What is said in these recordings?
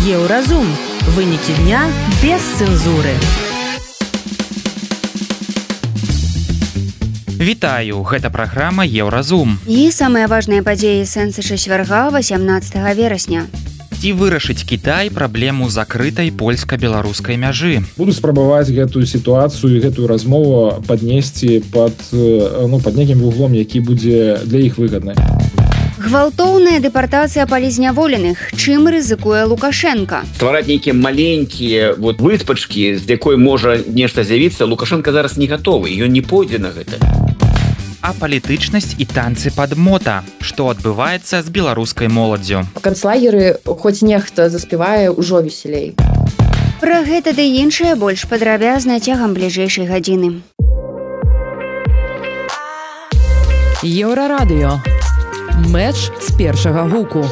Еўразум. Вынікі дня без цэнзуры. Вітаю, гэта праграма Еўразум. І самыя важныя падзеі сэнсы чацвярга 18 верасня. Ці вырашыць Кітай праблему закрытай польска-беларускай мяжы. Буду спрабаваць гэтую сітуацыю і гэтую размову паднесці пад некім вуглом, які будзе для іх выгадны. Гвалтоўная дэпартацыя палізняволеных. Чым рызыкуе Лукашенко? Ствараць нейкія маленькія выспачкі, з якой можа нешта з'явіцца, Лукашенко зараз не гатовы, ён не пойдзе на гэта. А палітычнасць і танцы пад мота. Што адбываецца з беларускай моладдзю? Канцлагеры, хоць нехта заспявае, ужо весялей. Пра гэта ды іншае больш падрабязна цягам бліжэйшай гадзіны. Еўрарадыё. Мэч з першага гуку.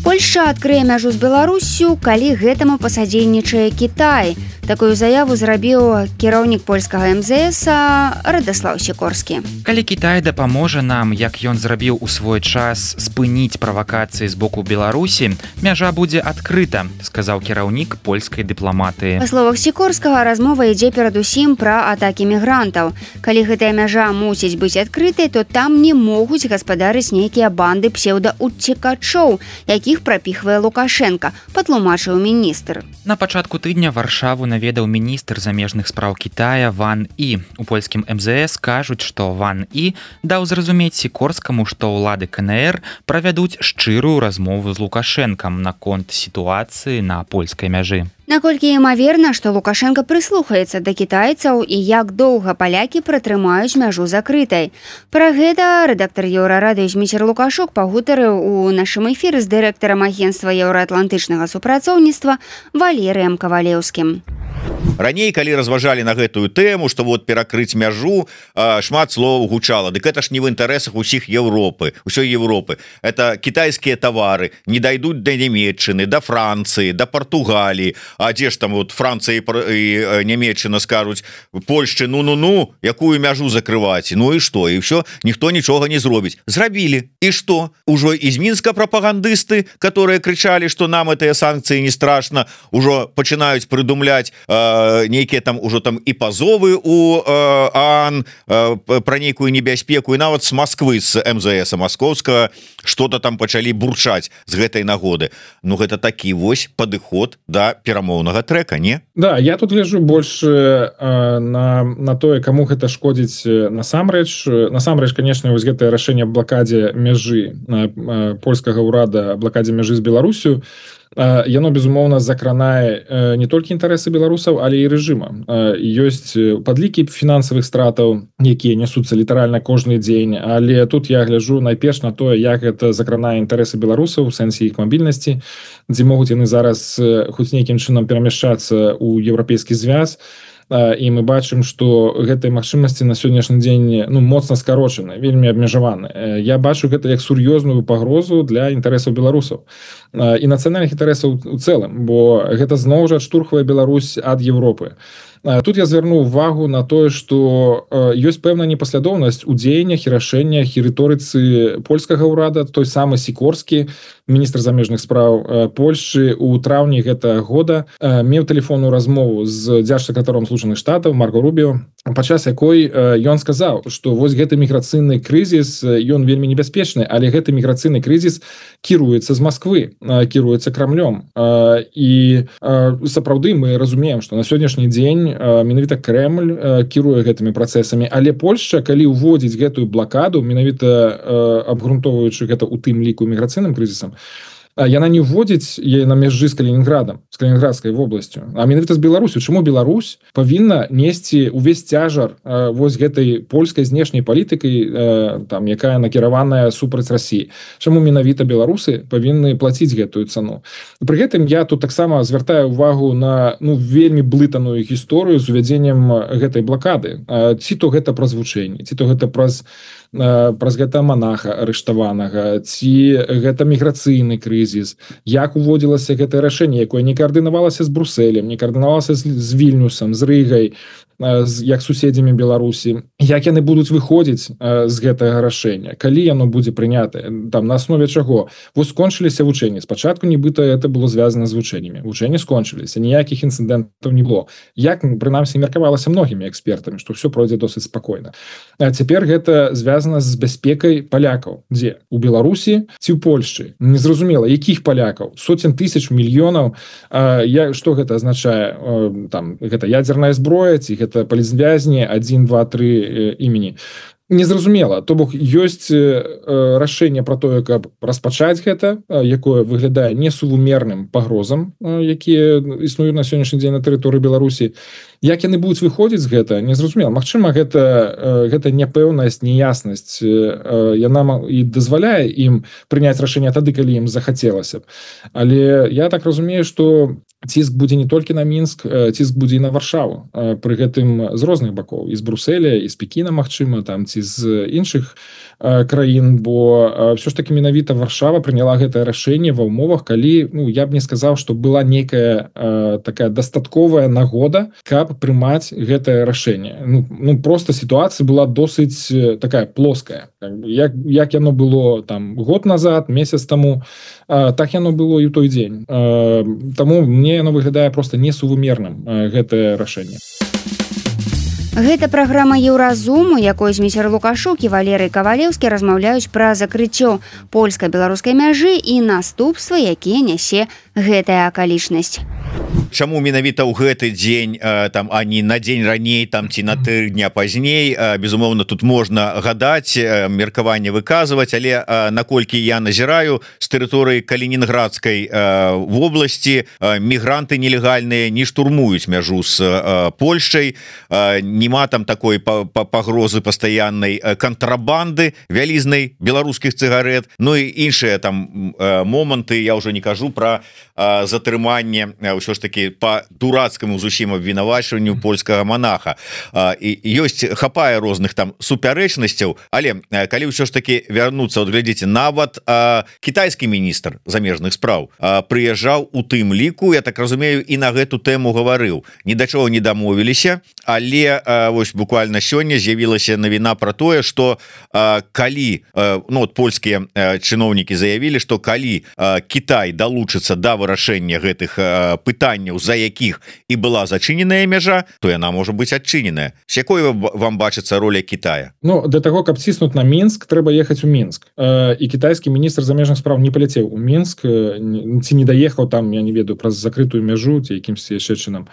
Польшча адкрые мяжу з Беларуссю, калі гэтаму пасадзейнічае Кітай. Такую заяву зрабіў кіраўнік польскага МЗС Радаслаў Сікорскі. Калі Кітай дапаможа нам, як ён зрабіў у свой час, спыніць правакацыі з боку Беларусі, мяжа будзе адкрыта, сказаў кіраўнік польскай дыпламатыі. Па словах Сікорскага, размова ідзе перадусім пра атакі мігрантаў. Калі гэтая мяжа мусіць быць адкрытай, то там не могуць гаспадарыць нейкія банды псеўдаўцекачоў, якіх прапіхвае Лукашенко, патлумачыў міністр. На пачатку тыдня Варшаву наведаў міністр замежных спраў Кітая Ван І. У польскім МЗС кажуць, што Ван І даў зразумець Сікорскаму, што ўлады КНР правядуць шчырую размову з Лукашэнкам наконт сітуацыі на польскай мяжы. Наколькі імаверна, што Лукашенко прыслухаецца да кітайцаў і як доўга палякі пратрымаюць мяжу закрытай. Пра гэта рэдактар Еўрарадыё Зміцер Лукашук пагутарыў у нашым эфіры з дырэктарам агенцтва еўраатлантычнага супрацоўніцтва Валерыем Кавалеўскім. Раней, калі разважалі на гэтую тэму, што перакрыць мяжу, шмат слоў гучала. Дык гэта ж не в інтарэсах усіх Еўропы, усёй Еўропы. Это кітайскія тавары не дайдуць да Нямецчыны, да Францыі, да Партугаліі. А дзе ж там Францыя і Нямецчына скажуць Польшчы, якую мяжу закрываць? Ну і што? І ўсё, ніхто нічога не зробіць. Зрабілі. І што? Ужо з Мінска прапагандысты, которые крычалі, што нам гэтыя санкцыі не страшна, ужо пачынаюць прыдумляць нейкія там ужо там і пазовы у ААН пра нейкую небяспеку, і нават з Масквы, з МЗС маскоўскага што-то там пачалі бурчаць з гэтай нагоды. Ну гэта такі вось падыход да перамоўнага трэка, не? Да, я тут гляджу больш на тое, каму гэта шкодзіць насамрэч. Насамрэч, канешне, вось гэтае рашэнне аб блакадзе мяжы польскага ўрада, блакадзе мяжы з Беларусю, яно, безумоўна, закранае не толькі інтарэсы беларусаў, але і рэжыма. Ёсць падлікі фінансавых стратаў, якія нясуцца літаральна кожны дзень, але тут я гляджу найперш на тое, як гэта закранае інтарэсы беларусаў у сэнсе іх мабільнасці, дзе могуць яны зараз хоць нейкім чынам перамяшчацца ў еўрапейскі звяз. І мы бачым, што гэтыя магчымасці на сённяшні дзень моцна скарочаны, вельмі абмежаваны. Я бачу гэта як сур'ёзную пагрозу для інтарэсаў беларусаў і нацыянальных інтарэсаў у цэлым, бо гэта зноў жа адштурхвае Беларусь ад Еўропы. Тут я звярну увагу на тое, што ёсць пэўная непаслядоўнасць у дзеяннях і рашэннях і рыторыцы польскага ўрада. Той самы Сікорскі, міністр замежных спраў Польшчы, у траўні гэтага года меў тэлефонную размову з дзяржсакратаром Злучаных Штатаў Марко Рубіо, падчас якой ён сказаў, што вось гэты міграцыйны крызіс, ён вельмі небяспечны, але гэты міграцыйны крызіс кіруецца з Масквы, кіруецца Крамлём. І сапраўды мы разумеем, што на сённяшні дзень менавіта Крэмль кіруе гэтымі працэсамі, але Польшча, калі ўводзіць гэтую блакаду, менавіта абгрунтоўваючы гэта ў тым ліку міграцыйным крызісам, яна не ўводзіць на мяжы з Калінінградам, з Калінінградскай вобласцю, а менавіта з Беларусю. Чаму Беларусь павінна несці увесь цяжар вось гэтай польскай знешняй палітыкай, там, якая накіраваная супраць Расіі? Чаму менавіта беларусы павінны плаціць гэтую цану? Пры гэтым я тут таксама звяртаю увагу на вельмі блытаную гісторыю з увядзеннем гэтай блакады. Ці то гэта праз вучэнні, ці то гэта праз гэта монаха арыштаванага, ці гэта міграцыйны крызіс, як уводзілася гэтае рашэнне, якое не каардынавалася з Брусэлем, не каардынавалася з Вільнюсам, з Рыгай, як суседзямі Беларусі, як яны будуць выходзіць з гэтага рашэння, калі яно будзе прынятае, там на аснове чаго. Вось скончыліся вучэнні, спачатку нібыта это было звязана з вучэннямі, вучэнні скончыліся, ніякіх інцыдэнтаў не было, як прынамсі меркавалася многімі экспертамі, што все пройдзе досыць спакойна. А цяпер гэта звязана з бяспекай палякаў, дзе у Беларусі ці ў Польшчы, незразумела якіх палякаў, сотен тысяч, мільёнаў. Што гэта азначае, там гэта ядзерная зброя ці гэта палізвязні 1, 2, 3 імені, незразумела. То бок ёсць рашэнне пра тое, каб распачаць гэта, якое выглядае несувумерным пагрозам, якія існуюць на сённяшні дзень на тэрыторыі Беларусі. Як яны будуць выходзіць з гэта, незразумела. Магчыма, гэта няпэўнасць, неяснасць, яна і дазваляе ім прыняць рашэнне тады, калі ім захацелася б. Але я так разумею, што ціск будзе не толькі на Мінск, ціск будзе і на Варшаву. Пры гэтым з розных бакоў, і з Бруселя, і з Пекіна, магчыма, там, ці з іншых краін, бо все ж таки менавіта Варшава прыняла гэтае рашэнне ва ўмовах, калі, я б не сказаў, што была нейкая такая дастатковая нагода, каб прымаць гэтае рашэнне. Просто сітуацыя была досыць такая плоская. Як яно было там год назад, месяц таму, так яно было і ў той дзень. Таму мне яно выглядае просто несувумерным, гэтае рашэнне. Гэта праграма Еўразум, у якой Зміцер Лукашук і Валерый Кавалеўскі размаўляюць пра закрыццё польска-беларускай мяжы і наступствы, якія нясе гэтая акалічнасць. Чаму менавіта ў гэты дзень, там, а не на дзень раней, там, ці на 3 дня пазней, безумоўна, тут можна гадаць, меркаванне выказваць, але наколькі я назіраю, з тэрыторыі Калінінградскай вобласці мігранты нелегальныя не штурмуюць мяжу з Польшчай, нема там такой пагрозы пастаяннай кантрабанды вялізнай беларускіх цыгарэт, ну і іншыя там моманты, я ўжо не кажу пра затрыманне ўсё ж таки по дурацкаму зусім абвінавачванню польскага монаха. І ёсць, хапае розных там супярэчнасцяў, але калі ўсё ж таки вярнуцца, вот глядзіце, нават кітайскі міністр замежных спраў прыязджаў у тым ліку, я так разумею, і на гэту тэму гаварыў. Ні да чаго не дамовіліся, але вось буквально сёння з'явілася навіна пра тое, што калі польскія чыноўнікі заявілі, што калі Кітай далучыцца да вырашэння гэтых пытанняў, за якіх і была зачыненая мяжа, то яна можа быць адчыненая. З якой вам бачыцца роля Китая? Для того, каб ціснуць на Мінск, трэба ехаць у Мінск. І кітайскі міністр замежных спраў не паляцеў у Мінск, ці не даехаў там, я не ведаю, праз закрытую мяжу ці якімсьці яшчэ чынам.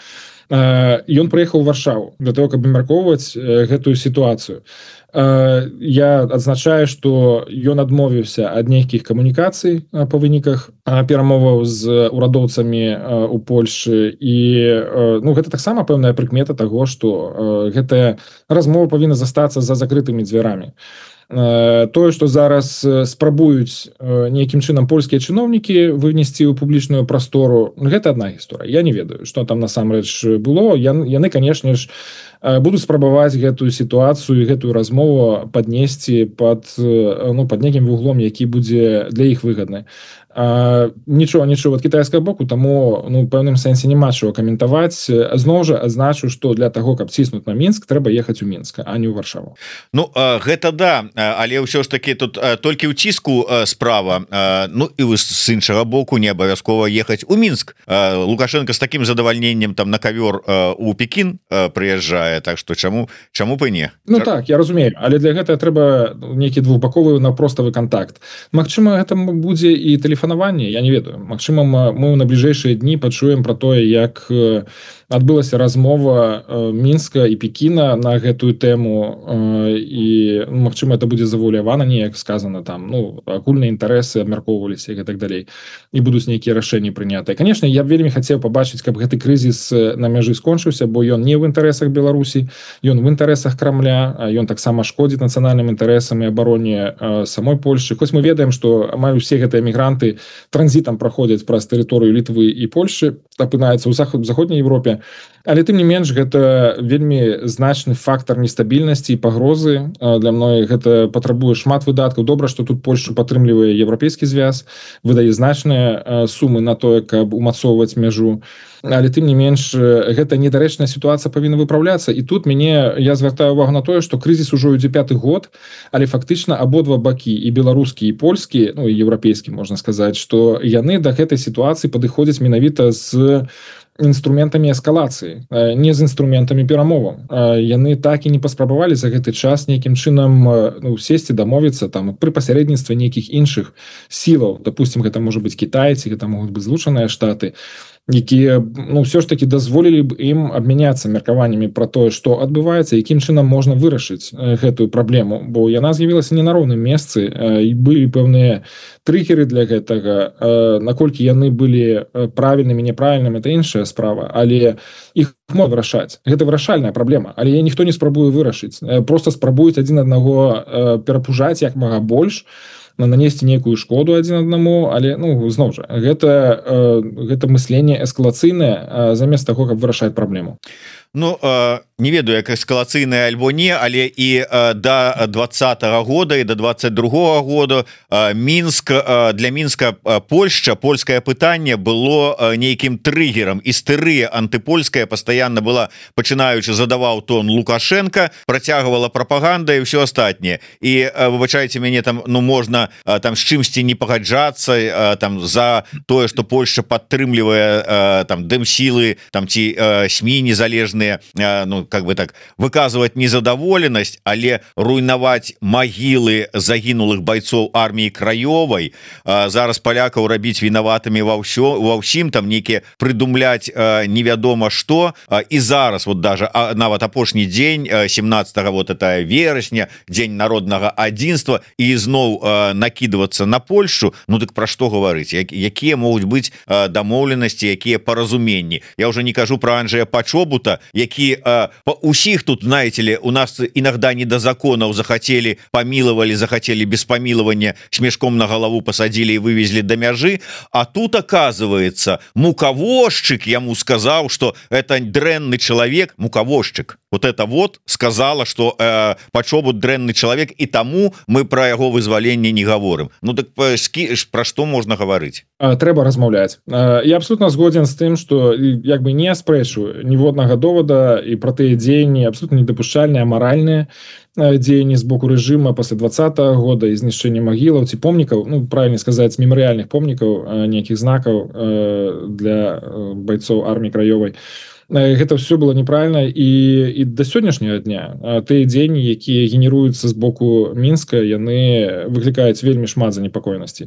Ён прыехаў у Варшаву для того, каб абмяркоўваць гэтую сітуацыю. Я адзначаю, што ён адмовіўся ад нейкіх камунікацый па выніках перамоваў з урадоўцамі у Польшы, і гэта таксама пэўная прыкмета таго, што гэтая размова павінна застацца за закрытымі дзвярамі. Тое, што зараз спрабуюць нейкім чынам польскія чыноўнікі вынесці ў публічную прастору, гэта адна гісторыя. Я не ведаю, што там насамрэч было. Яны, канешне ж, будуць спрабаваць гэтую сітуацыю і гэтую размову паднесці пад нейкім вуглом, які будзе для іх выгадны. Нічого ад кітайскага боку, таму ў пэўным сэнсе няма чаго каментаваць. Зноў жа адзначу, што для таго, каб ціснуць на Мінск, трэба ехаць у Мінск, а не ў Варшаву. Гэта да, але ўсё ж таки тут толькі ў ціску справа, і з іншага боку не абавязкова ехаць у Мінск. Лукашенко з такім задавальненнем там на кавёр у Пекін прыязджае, так што чаму б і не? Так, я разумею, але для гэтага трэба нейкі двухбаковы наўпроставы контакт. Магчыма, гэта будзе і тэлефанаванне, я не ведаю. Магчыма, мы на бліжэйшыя дні пачуем пра тое, як адбылася размова Мінска і Пекіна на гэтую тэму, і магчыма, это будзе завуалявана, неяк сказана там, агульныя інтарэсы абмяркоўваліся і так далей, і будуць нейкія рашэнні прынятыя. Канешне, я б вельмі хацеў пабачыць, каб гэты крызіс на мяжы скончыўся, бо ён не ў інтарэсах Беларусі, ён в інтарэсах Крамля, ён таксама шкодзіць нацыянальным інтарэсам і абароне самой Польшчы. Хоць мы ведаем, што амаль усе гэтыя мігранты транзітам праходзяць праз тэрыторыю Літвы і Польшчы, апынаецца ў заходняй Европе, але тым не менш гэта вельмі значны фактор нестабільнасці і пагрозы для многіх. Гэта патрабуе шмат выдаткаў. Добра, што тут Польша падтрымлівае еўрапейскі звяз, выдае значныя сумы на тое, каб умацоўваць мяжу, але тым не менш гэта недарэчная сітуацыя павінна выпраўляцца. І тут я звяртаю увагу на тое, што крызіс ужо ідзе 5-ты год, але фактычна абодва бакі, і беларускі, і польскі, ну і еўрапейскі, можна сказаць, што яны да гэтай сітуацыі падыходзяць менавіта з інструментамі эскалацыі, не з інструментамі перамоваў. Яны так і не паспрабавалі за гэты час нейкім чынам сесці, дамовіцца там пры пасярэдніцтве нейкіх іншых сілаў. Допустим, гэта можа быць Кітай, ці гэта могуць быць Злучаныя Штаты, якія ўсё ж таки дазволілі б ім абмяняцца меркаваннямі пра тое, што адбываецца, якім чынам можна вырашыць гэтую праблему, бо яна з'явілася не на роўным месцы, і былі пэўныя трыггеры для гэтага. Наколькі яны былі правільнымі, няправільнымі, это іншая справа, але іх можна вырашаць. Гэта вырашальная праблема, але ніхто не спрабуе вырашыць. Проста спрабуюць адзін аднаго перапужаць як мага больш, нанесці нейкую шкоду адзін аднаму, але зноў жа гэта мысленне эскалацыйнае замест таго, каб вырашаць праблему. Не ведаю, як эскалацыйная альбо не, але і да 20-го года і до 22-го года для Мінска польскае пытанне было нейкім трыггерам. Істэрыя антыпольская пастаянна была, пачынаючы задаваў тон Лукашенко, працягвала прапаганда і ўсё астатняе. І выбачайце мяне, там можна там з чымсьці не пагаджацца там за тое, што Польшча падтрымлівае там дэмсілы, там ці СМІ незалежныя, как бы так, выказывать незадаволенасць, але руйнаваць магілы загінулых бойцоў арміі краёвай, зараз палякаў рабіць вінаватымі ва ўсім, там нейкія прыдумляць невядома што. І зараз вот даже нават апошні дзень 17 вот это верасня, дзень народнага адзінства, і зноў накидываться на Польшу. Так пра што гаварыць, якія могуць быць дамоўленасці, якія паразуменні. Я уже не кажу про Анджея Пачобута, які усіх тут, знаете ли, у нас иногда не до законов захотели, помиловали, захотели без помилования, с мешком на голову посадили и вывезли до мяжи, а тут, оказывается, муковозчик ему сказал, что это дрэнный человек, муковозчик, вот это вот сказала, что Пачобут дрэнный человек, и тому мы про его вызволение не говорим. Так про что можно говорить? Трэба размаўляць. Я абсолютно згоден з тым, што як бы не аспрэчу ніводнага довода і пра тыя дзеянні абсолютно недапушчальныя, амаральныя дзеянні з боку рэжыма пасля 20-го года і знішчэння магілаў ці помнікаў, правильно сказаць, мемарыяльных помнікаў, нейкіх знакаў для бойцоў арміі краёвай. Гэта все было неправильно, і до сённяшняга дня тыя дзеянні, якія генеруюцца з боку Мінска, яны выклікаюць вельмі шмат занепакоенасці.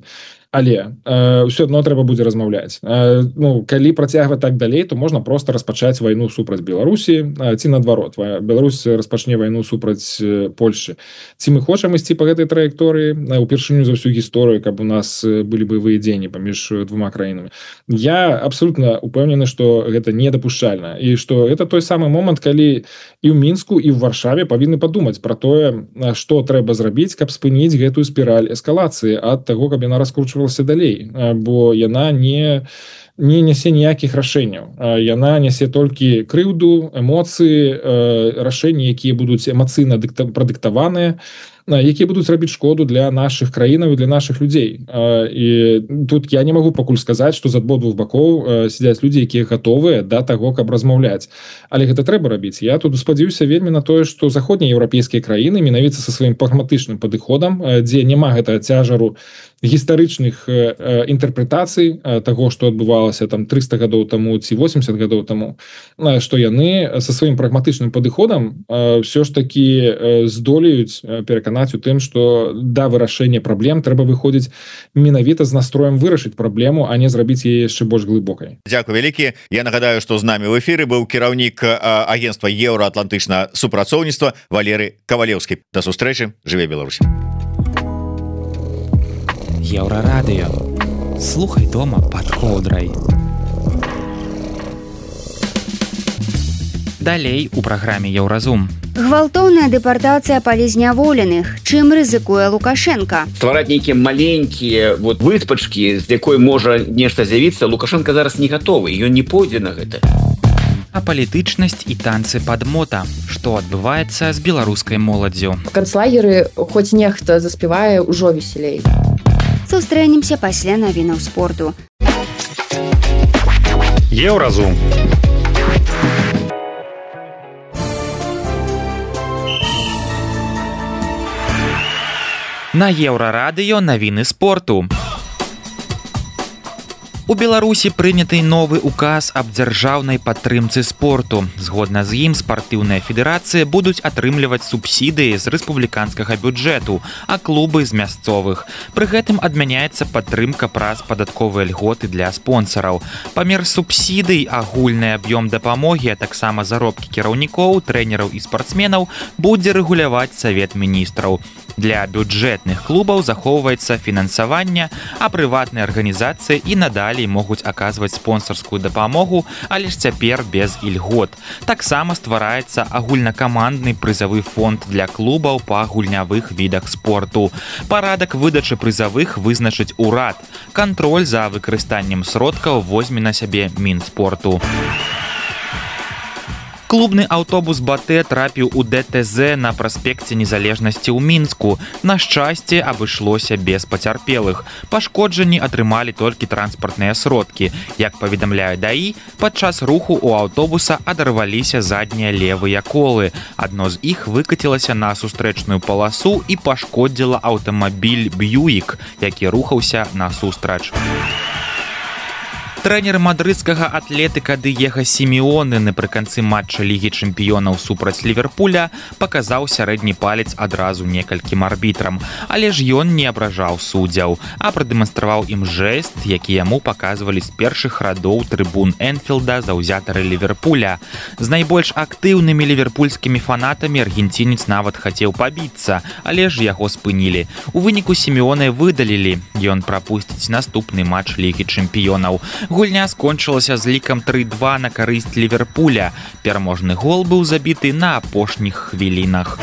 Але ўсё адно трэба будзе размаўляць. Калі працягваць так далей, то можна просто распачаць вайну супраць Беларусі, ці наадварот, Беларусь распачне вайну супраць Польшчы. Ці мы хочам ісці па гэтай траекторыі упершыню за ўсю гісторыю, каб у нас былі баявыя дзеянні паміж двума краінамі? Я абсолютно упэўнены, што гэта недапушчальна, і што это той самы момант, калі і ў Мінску, і ў Варшаве павінны падумаць пра тое, што трэба зрабіць, каб спыніць гэтую спіраль эскалацыі ад таго, каб яна раскручвалася далей, бо яна не нясе ніякіх рашэнняў. Яна нясе толькі крыўду, эмоцыі, рашэнні, якія будуць эмацыйна прадыктаваныя, якія будуць рабіць шкоду для нашых краінаў і для нашых людзей. І тут я не магу пакуль сказаць, што з абодвух бакоў сядзяць людзі, якія гатовыя да таго, каб размаўляць. Але гэта трэба рабіць. Я тут спадзяюся вельмі на тое, што заходнееўрапейскія краіны менавіта са сваім прагматычным падыходам, дзе няма гэтага цяжару гістарычных інтэрпрэтацый таго, што адбывалася там 300 гадоў таму ці 80 гадоў таму, што яны са сваім прагматычным падыходам ўсё ж такі здолеюць пераканаць у тым, што да вырашэння праблем трэба выходзіць менавіта з настроем вырашыць праблему, а не зрабіць яе яшчэ больш глыбокай. Дзякуй вялікі. Я нагадаю, што з намі ў эфіры быў кіраўнік агентства еўраатлантычнага супрацоўніцтва Валерый Кавалеўскі. Да сустрэчы, жыве Беларусь. Еўрарадыё. Слухай дома пад коўдрай. Далей у праграме Еўразум. Гвалтоўная дэпартацыя палізняволеных. Чым рызыкуе Лукашенко? Ствараць нейкія маленькія выспачкі, з якой можа нешта з'явіцца, Лукашенко зараз не гатовы, ён не пойдзе на гэта. А палітычнасць і танцы падмота. Што адбываецца з беларускай моладдзю? В канцлагеры хоць нехта заспявае ўжо весялей. Сустрэнемся пасля навінаў спорту. Еўразум. На Еўрарадыё навіны спорту. У Беларусі прыняты новы указ аб дзяржаўнай падтрымцы спорту. Згодна з ім спартыўныя федэрацыі будуць атрымліваць субсідыі з рэспубліканскага бюджэту, а клубы з мясцовых. Пры гэтым адмяняецца падтрымка праз падатковыя льготы для спонсараў. Памер субсідый, агульны аб'ём дапамогі, а таксама заробкі кіраўнікоў, трэнераў і спартсменаў будзе рэгуляваць Савет міністраў. Для бюджэтных клубаў захоўваецца фінансаванне, а прыватныя арганізацыі і надалей могуць аказваць спонсарскую дапамогу, але ж цяпер без ільгот. Таксама ствараецца агульнакамандны прызавы фонд для клубаў па гульнявых відах спорту. Парадак выдачы прызавых вызначыць урад. Кантроль за выкарыстаннем сродкаў возьме на сябе Мінспорту. Клубны аўтобус «Батэ» трапіў у ДТЗ на праспекце Незалежнасці ў Мінску. На шчасце, абышлося без пацярпелых. Пашкоджанні атрымалі толькі транспартныя сродкі. Як паведамляе ДАІ, падчас руху ў аўтобуса адарваліся заднія левыя колы. Адно з іх выкацілася на сустрэчную паласу і пашкодзіла аўтамабіль «Б'юік», які рухаўся насустрач. Трэнер мадрыдскага атлетыка Дыего Сімеоне напрыканцы матча Лігі чэмпіёнаў супраць Ліверпуля паказаў сярэдні палец адразу некалькім арбітрам. Але ж ён не абражаў суддзяў, а прадэманстраваў ім жэст, які яму паказвалі з першых радоў трыбун Энфілда заўзятары Ліверпуля. З найбольш актыўнымі ліверпульскімі фанатамі аргенцінец нават хацеў пабіцца, але ж яго спынілі. У выніку Сімеоне выдалілі. Ён прапусціць наступны матч Лігі чэмпіёнаў. Гульня скончылася з лікам 3-2 на карысць Ліверпуля. Пераможны гол быў забіты на апошніх хвілінах.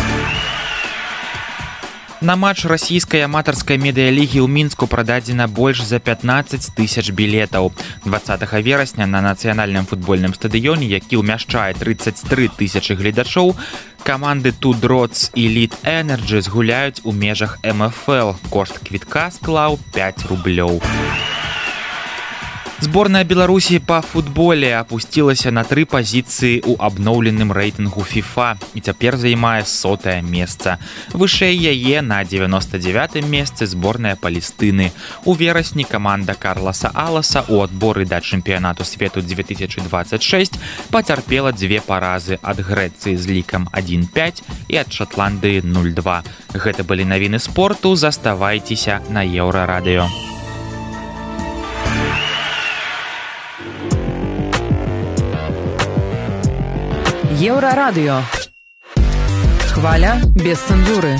На матч расійскай аматарскай медыялігі ў Мінску прададзена больш за 15 000 білетаў. 20 верасня на нацыянальным футбольным стадыёне, які ўмяшчае 33 000 гледачоў, каманды Two Drots і Lead Energy згуляюць у межах МФЛ. Кошт квітка склаў 5 рублёў. Зборная Беларусі па футболе апусцілася на 3 пазіцыі ў абноўленым рэйтынгу FIFA і цяпер займае 100-е месца. Вышэй яе на 99-м месцы зборная Палестыны. У верасні каманда Карласа Аласа ў адборы да чэмпіянату свету 2026 пацярпела 2 паразы ад Грэцыі з лікам 1-5 і ад Шатландыі 0-2. Гэта былі навіны спорту, заставайцеся на Еўрарадыё. Еўрарадыё. Хваля без цэнзуры.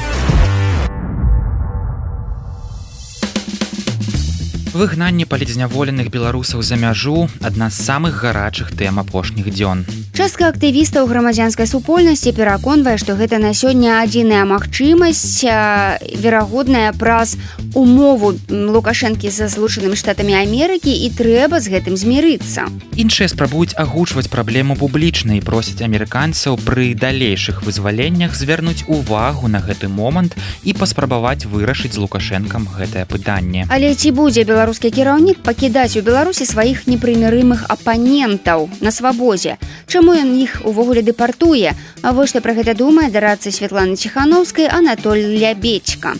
Выгнанне палізняволеных беларусаў за мяжу – адна з самых гарачых тэм апошніх дзён. Частка актывістаў грамадзянскай супольнасці пераконвае, што гэта на сёння адзіная магчымасць, верагодная праз умову Лукашэнкі са Злучанымі Штатамі Амерыкі, і трэба з гэтым змірыцца. Іншыя спрабуюць агучваць праблему публічна і просяць амерыканцаў пры далейшых вызваленнях звярнуць увагу на гэты момант і паспрабаваць вырашыць з Лукашэнкам гэтае пытанне. Але ці будзе беларускі кіраўнік пакідаць у Беларусі сваіх непрымірымых апанентаў на свабодзе? Чаму ён іх увогуле дэпартуе? А вось што пра гэта думае дарадца Святланы Ціханаўскай Анатоль Лябедзька.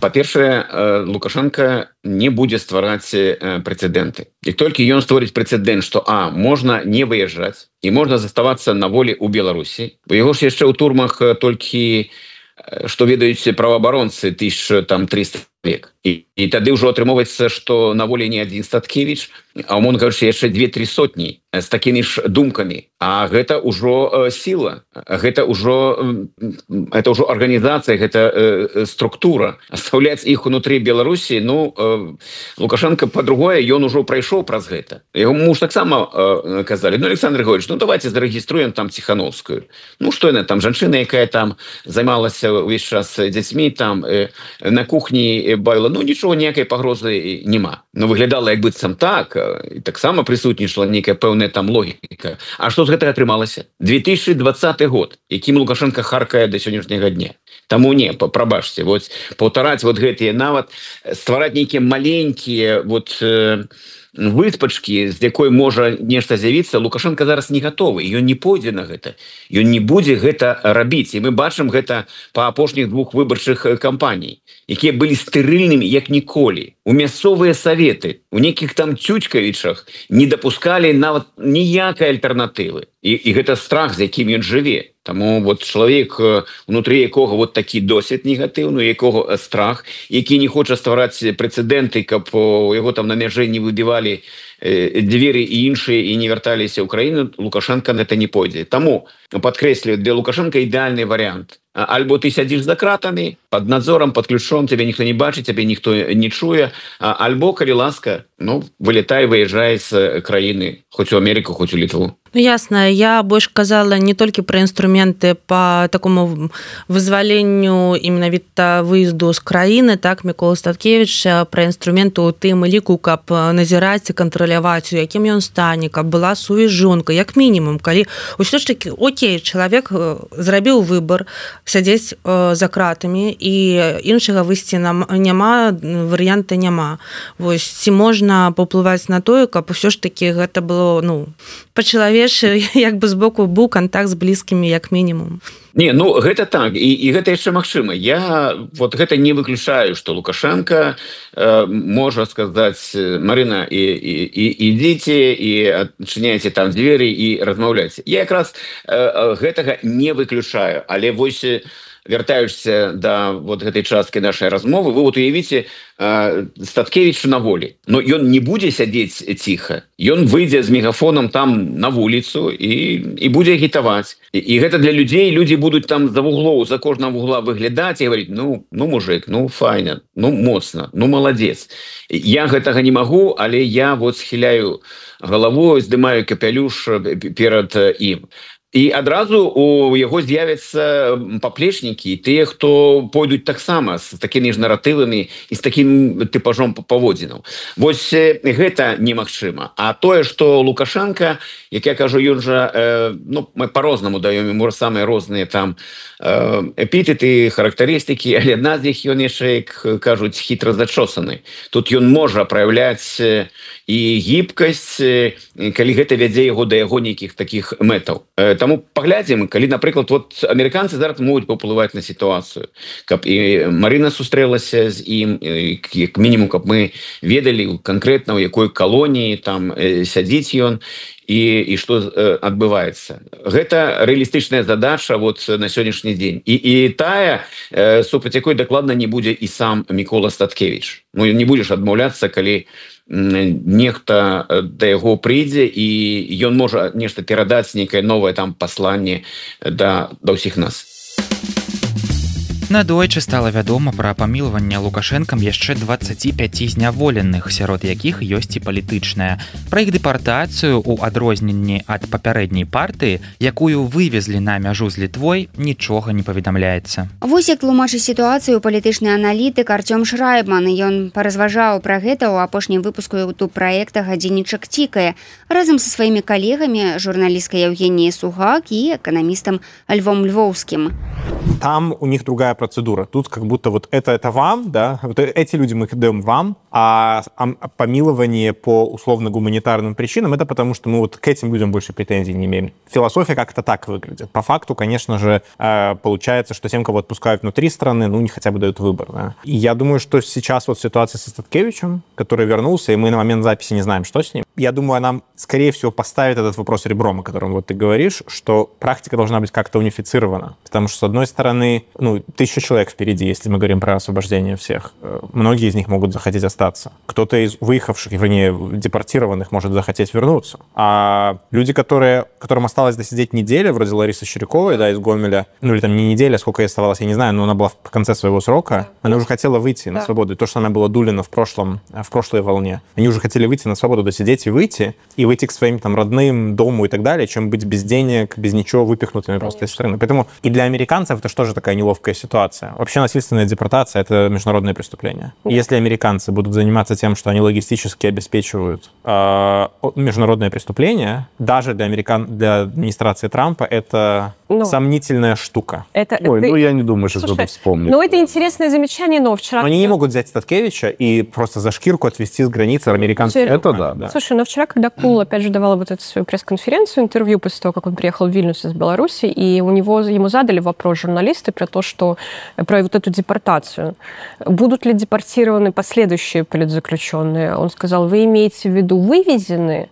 Па-першае, Лукашенко не будзе ствараць прэцэдэнты. Як толькі ён створыць прэцэдэнт, што можна не выязджаць і можна заставацца на волі ў Беларусі, бо яго ж яшчэ ў турмах толькі, што ведаюць праваабаронцы, 1300 чалавек. І І тады ўжо атрымоўваецца, што на волі не адзін Статкевіч, а умоўна кажучы, яшчэ 2-3 сотні з такімі ж думкамі. А гэта ўжо сіла, гэта ўжо арганізацыя, гэта структура. Оставляць іх унутры Беларусі, Лукашенко па-другое, ён ужо прайшоў праз гэта. Яго муж таксама казалі: Александр Григорьевич, давайте зарэгіструем там Ціхановскую. Што яна там, жанчына, якая там займалася ўвесь час дзяцьмі, там на кухні бавіла, нічого, ніякай пагрозы няма. Выглядала як быццам так, і таксама прысутнічала нейкая пэўная там логіка. А што з гэтага атрымалася? 2020 год, якім Лукашенко харкае да сённяшняга дня. Таму не, прабачце, паўтараць гэтыя, нават ствараць нейкія маленькія выспачкі, з якой можа нешта з'явіцца, Лукашенко зараз не гатовы, ён не пойдзе на гэта, ён не будзе гэта рабіць. І мы бачым гэта па апошніх 2 выбарчых кампаній, якія былі стэрыльнымі як ніколі. У мясцовыя саветы, у нейкіх там Цюцькавічах не дапускалі нават ніякай альтэрнатывы. І гэта страх, з якім ён жыве. Таму чалавек, унутры якога такі досвед негатыўны, якога страх, які не хоча ствараць прэцэдэнты, каб у яго там на мяжы не выбівалі дзверы і іншыя і не вярталіся ў краіну, Лукашенко на гэта не пойдзе. Таму, падкрэслю, для Лукашенко ідэальны варыянт. Альбо ты сядзіш за кратамі, пад надзорам, пад ключом, цябе ніхто не бачыць, цябе ніхто не чуе, альбо, калі ласка, вылетай, выязджай з краіны, хоць у Амерыку, хоць у Літву. Ясно, я больш казала не толькі пра інструменты па такому вызваленню і менавіта выезду з краіны, так, Мікола Статкевіч, пра інструменты ў тым ліку, каб назіраць і кантраляваць, у якім ён стане, каб была сувязь жонка, як мінімум, калі ўсё ж такі, окей, чалавек зрабіў выбар, сядзець за кратамі, і іншага выйсці няма, варыянта няма. Ці можна паўплываць на тое, каб усё ж такі гэта было, па-чалавечы, як бы з боку быў кантакт з блізкімі, як мінімум. Не, гэта так, і гэта яшчэ магчыма. Я гэта не выключаю, што Лукашенко можа сказаць: Марына, ідзіце і адчыняйце там дзверы і размаўляйце. Я якраз гэтага не выключаю, але вяртаючыся да гэтай часткі нашай размовы, вы уявіце Статкевіч на волі. Но ён не будзе сядзець ціха. Ён выйдзе з мегафоном там на вуліцу і будзе агітаваць. І гэта для людзей, людзі будуць там за вуглоў, за кожнага вугла выглядаць і гаварыць: мужик, файна, моцна, маладзец. Я гэтага не магу, але я схіляю галавою, здымаю капялюш перад ім. І адразу у яго з'явяцца паплечнікі, тыя, хто пойдуць таксама з такімі ж наратывамі і з такім тыпажом паводзінаў. Гэта немагчыма. А тое, што Лукашенко, як я кажу, ён жа, мы па-рознаму даём яму самыя розныя там эпітэты, характарыстыкі, але адна з іх ён яшчэ, як кажуць, хітра зачосаны. Тут ён можа праяўляць і гібкасць, калі гэта вядзе яго да яго нейкіх такіх мэтаў. Таму паглядзім, калі, напрыклад, амерыканцы зараз могуць паўплываць на сітуацыю, каб і Марына сустрэлася з ім, як мінімум, каб мы ведалі канкрэтна, у якой калоніі там сядзіць ён і што адбываецца. Гэта рэалістычная задача на сённяшні дзень. І тая, супраць якой дакладна не будзе і сам Мікола Статкевіч. Не будзеш адмаўляцца, калі нехта да яго прыйдзе і ён можа нешта перадаць, нейкае новае там пасланне да ўсіх нас. Надойчы стала вядома пра памілаванне Лукашэнкам яшчэ 25 зняволеных, сярод якіх ёсць і палітычная. Пра іх дэпартацыю ў адрозненні ад папярэдняй партыі, якую вывезлі на мяжу з Літвой, нічога не паведамляецца. Вось як тлумачыць сітуацыю палітычны аналітык Артём Шрайбман. Ён паразважаў пра гэта ў апошнім выпуску ютуб праекта «Гадзіннічак цікае» разам са сваімі калегамі, журналісткай Евгеніяй Сугак і эканамістам Львом Львоўскім. Там у них другая процедура. Тут как будто это вам, да, эти люди мы даем вам, а помилование по условно-гуманитарным причинам это потому, что мы к этим людям больше претензий не имеем. Философия как-то так выглядит. По факту, конечно же, получается, что тем, кого отпускают внутри страны, не хотя бы дают выбор. Да. И я думаю, что сейчас ситуация со Статкевичем, который вернулся, и мы на момент записи не знаем, что с ним, я думаю, она, скорее всего, поставит этот вопрос ребром, о котором вот ты говоришь, что практика должна быть как-то унифицирована. Потому что, с одной стороны, 1000 человек впереди, если мы говорим про освобождение всех. Многие из них могут захотеть остаться. Кто-то из выехавших, вернее, депортированных может захотеть вернуться. А люди, которым осталось досидеть неделю, вроде Ларисы Чиряковой, да, из Гомеля, или там не неделя, сколько ей оставалось, я не знаю, но она была в конце своего срока, она уже хотела выйти на свободу. И то, что она была Дулина в прошлой волне, они уже хотели выйти на свободу, досидеть и выйти к своим там родным, дому и так далее, чем быть без денег, без ничего, выпихнутыми просто из страны. Поэтому и для американцев это тоже такая неловкая ситуация. Вообще насильственная депортация — это международное преступление. Если американцы будут заниматься тем, что они логистически обеспечивают международное преступление, даже для администрации Трампа это сомнительная штука. Я не думаю, что кто-то вспомнит. Это интересное замечание, но вчера... Они не могут взять Статкевича и просто за шкирку отвезти с границы американцев. Это да. Слушай, но вчера, когда Кул, опять же, давала вот эту свою пресс-конференцию, интервью после того, как он приехал в Вильнюс из Беларуси, и ему задали вопрос журналисты про вот эту депортацию. Будут ли депортированы последующие политзаключенные? Он сказал, вы имеете в виду вывезенные?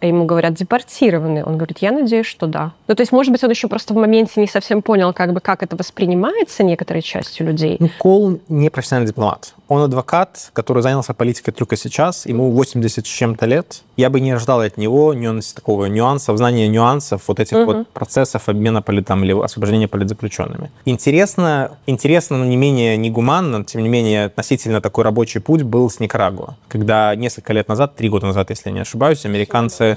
А ему говорят, депортированы. Он говорит, я надеюсь, что да. То есть, может быть, он еще просто в моменте не совсем понял, как это воспринимается некоторой частью людей. Кол не профессиональный дипломат. Он адвокат, который занялся политикой только сейчас. Ему 80 с чем-то лет. Я бы не ожидал от него такого нюанса, знания нюансов вот этих вот процессов обмена или освобождения политзаключенными. Интересно, но не менее негуманно, тем не менее, относительно такой рабочий путь был с Никарагуа. Когда несколько лет назад, 3 года назад, если я не ошибаюсь, американцы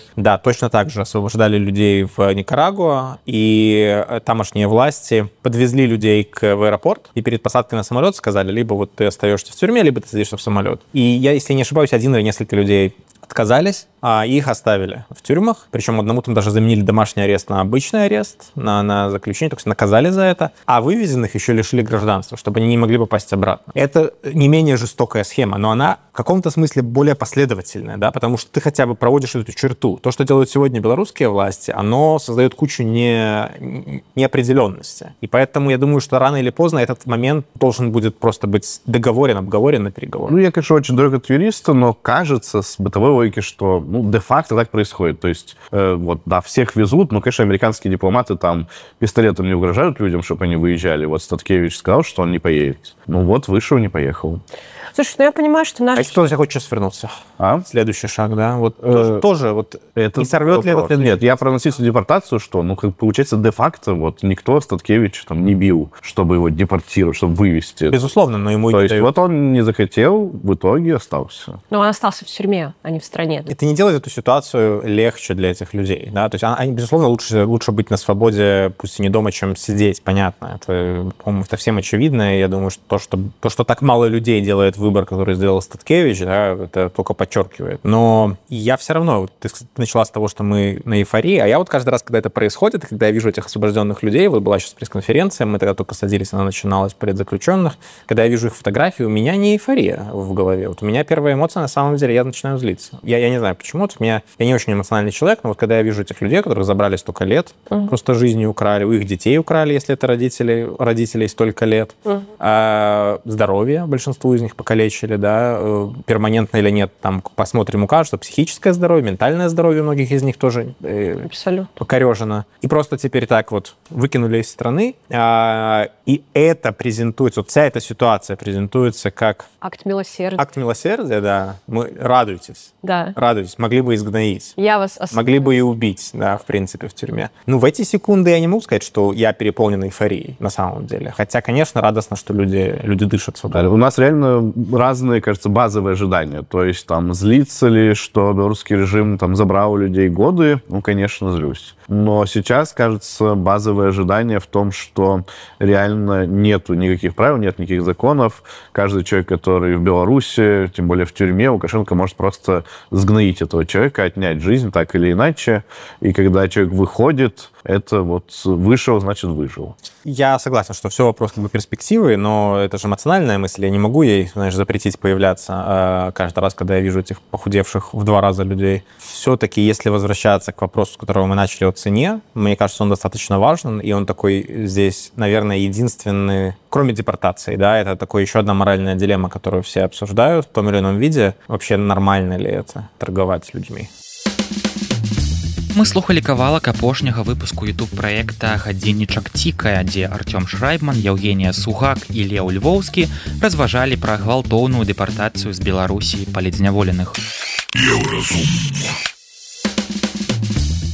точно так же освобождали людей в Никарагуа, и тамошние власти подвезли людей в аэропорт, и перед посадкой на самолет сказали, либо вот ты остаешься в тюрьме, либо ты садишься в самолет. И я, если не ошибаюсь, 1 или несколько людей отказались, а их оставили в тюрьмах. Причем одному там даже заменили домашний арест на обычный арест, на заключение, то есть наказали за это. А вывезенных еще лишили гражданства, чтобы они не могли попасть обратно. Это не менее жестокая схема, но она в каком-то смысле более последовательная, да, потому что ты хотя бы проводишь эту черту. То, что делают сегодня белорусские власти, оно создает кучу неопределенности. И поэтому я думаю, что рано или поздно этот момент должен будет просто быть обговорен на переговорах. Я, конечно, очень далек от юриста, но кажется с бытовой логики, что де-факто так происходит. То есть, всех везут, но, конечно, американские дипломаты там пистолетом не угрожают людям, чтобы они выезжали. Вот Статкевич сказал, что он не поедет. Вышел, не поехал. Слушай, я понимаю, что А если кто-то захочет сейчас вернуться? Следующий шаг, да? Тоже это не сорвет ли это? Нет, я про насильственную депортацию, что, получается, де-факто никто Статкевич не бил, чтобы его депортировать, чтобы вывести. Безусловно, но ему То есть он не захотел, в итоге остался. Но он остался в тюрьме, а не в стране. Это не делает эту ситуацию легче для этих людей, да? То есть, безусловно, лучше быть на свободе, пусть и не дома, чем сидеть, понятно. Это, по-моему, это всем очевидно, и я думаю, что то, что так мало людей делает выбор, который сделал Статкевич, да, это только подчеркивает. Но я все равно, ты начала с того, что мы на эйфории, а я каждый раз, когда это происходит, когда я вижу этих освобожденных людей, была сейчас пресс-конференция, мы тогда только садились, она начиналась, политзаключенных, когда я вижу их фотографии, у меня не эйфория в голове. У меня первая эмоция, на самом деле, я начинаю злиться. Я не знаю, почему. Я не очень эмоциональный человек, но когда я вижу этих людей, которых забрали столько лет, просто жизнью украли, у их детей украли, если это родителей столько лет, здоровье большинству из них покалечили, да, перманентно или нет, там посмотрим, укажут, что психическое здоровье, ментальное здоровье у многих из них тоже покорежено. И просто теперь так выкинули из страны, и это презентуется, вся эта ситуация презентуется как... Акт милосердия. Акт милосердия, да. Радуйтесь. Да. Радуйтесь. Могли бы изгноить. Я вас могли бы и убить, да, в принципе, в тюрьме. В эти секунды я не могу сказать, что я переполнен эйфорией, на самом деле. Хотя, конечно, радостно, что люди дышат свободно. У нас реально разные, кажется, базовые ожидания. То есть, злиться ли, что белорусский режим забрал у людей годы? Конечно, злюсь. Но сейчас, кажется, базовое ожидание в том, что реально нету никаких правил, нет никаких законов. Каждый человек, который в Беларуси, тем более в тюрьме, Лукашенко может просто сгноить этого человека, отнять жизнь так или иначе. И когда человек выходит, это вышел, значит, выжил. Я согласен, что все вопрос перспективы, но это же эмоциональная мысль. Я не могу ей, конечно, запретить появляться каждый раз, когда я вижу этих похудевших в 2 раза людей. Все-таки, если возвращаться к вопросу, с которого мы начали, о цене, мне кажется, он достаточно важен, и он такой здесь, наверное, единственный, кроме депортации, да, это такой еще одна моральная дилемма, которую все обсуждают в том или ином виде. Вообще, нормально ли это, торговать людьми? Мы слухали кавалак апошняга выпуску YouTube-праекта «Гадзіннічак цікае», дзе Артём Шрайбман, Евгения Сугак і Леў Львоўскі разважалі пра гвалтоўную дэпартацыю з Беларусі палітзняволеных.